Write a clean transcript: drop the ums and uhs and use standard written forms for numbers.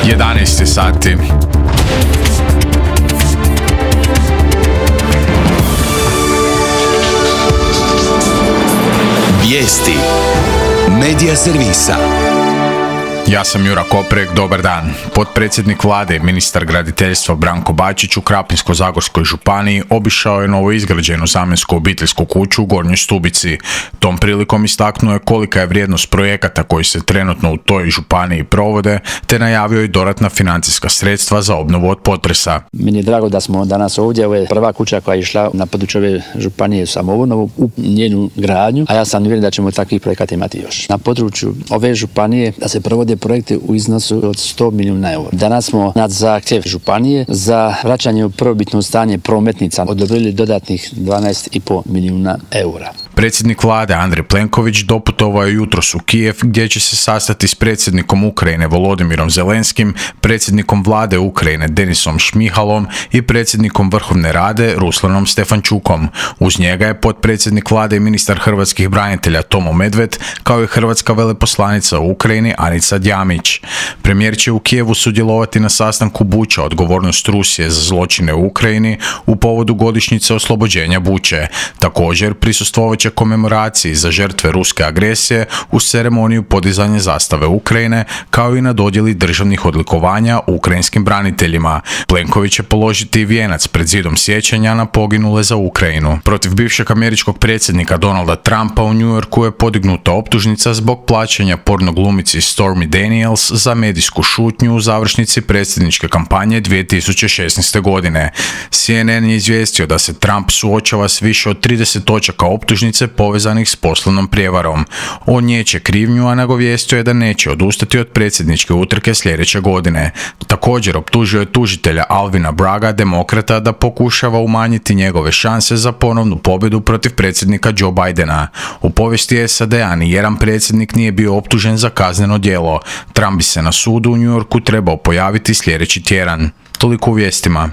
11 sati. Vijesti Medija servisa. Ja sam Jura Koprek, dobar dan. Potpredsjednik vlade i ministar graditeljstva Branko Bačić u Krapinsko-zagorskoj županiji obišao je novoizgrađenu zamjensku obiteljsku kuću u Gornjoj Stubici. Tom prilikom istaknuo je kolika je vrijednost projekata koji se trenutno u toj županiji provode, te najavio i dodatna financijska sredstva za obnovu od potresa. Meni je drago da smo danas ovdje. Ovo je prva kuća koja je išla na području ove županije samoobnovu u njenu gradnju, a ja sam uvjeren da ćemo takvih projekata imati još. Na području ove županije da se provode projekte u iznosu od 100 milijuna eura. Danas smo na zahtjev županije za vraćanje u prvobitno stanje prometnica odobrili dodatnih 12,5 milijuna eura. Predsjednik vlade Andrej Plenković doputovao je jutros u Kijev gdje će se sastati s predsjednikom Ukrajine Volodimirom Zelenskim, predsjednikom vlade Ukrajine Denisom Šmihalom i predsjednikom Vrhovne rade Ruslanom Stefančukom. Uz njega je potpredsjednik vlade i ministar hrvatskih branitelja Tomo Medved, kao i hrvatska veleposlanica u Ukrajini Anica Djamić. Premijer će u Kijevu sudjelovati na sastanku Buča, odgovornost Rusije za zločine u Ukrajini u povodu godišnjice oslobođenja Buče. Također prisustvovat će komemoraciji za žrtve ruske agresije uz ceremoniju podizanja zastave Ukrajine, kao i na dodjeli državnih odlikovanja ukrajinskim braniteljima. Plenković će položiti vijenac pred zidom sjećanja na poginule za Ukrajinu. Protiv bivšeg američkog predsjednika Donalda Trumpa u New Yorku je podignuta optužnica zbog plaćanja porno glumici Stormy Daniels za medijsku šutnju u završnici predsjedničke kampanje 2016. godine. CNN je izvijestio da se Trump suočava s više od 30 točaka optužnice povezanih s poslovnom prijevarom. On niječe krivnju, a nagovijestio je da neće odustati od predsjedničke utrke sljedeće godine. Također optužio je tužitelja Alvina Bragga, demokrata, da pokušava umanjiti njegove šanse za ponovnu pobjedu protiv predsjednika Joe Bidena. U povijesti SAD-a ni jedan predsjednik nije bio optužen za kazneno djelo. Trump bi se na sudu u New Yorku trebao pojaviti sljedeći tjedan. Toliko u vijestima.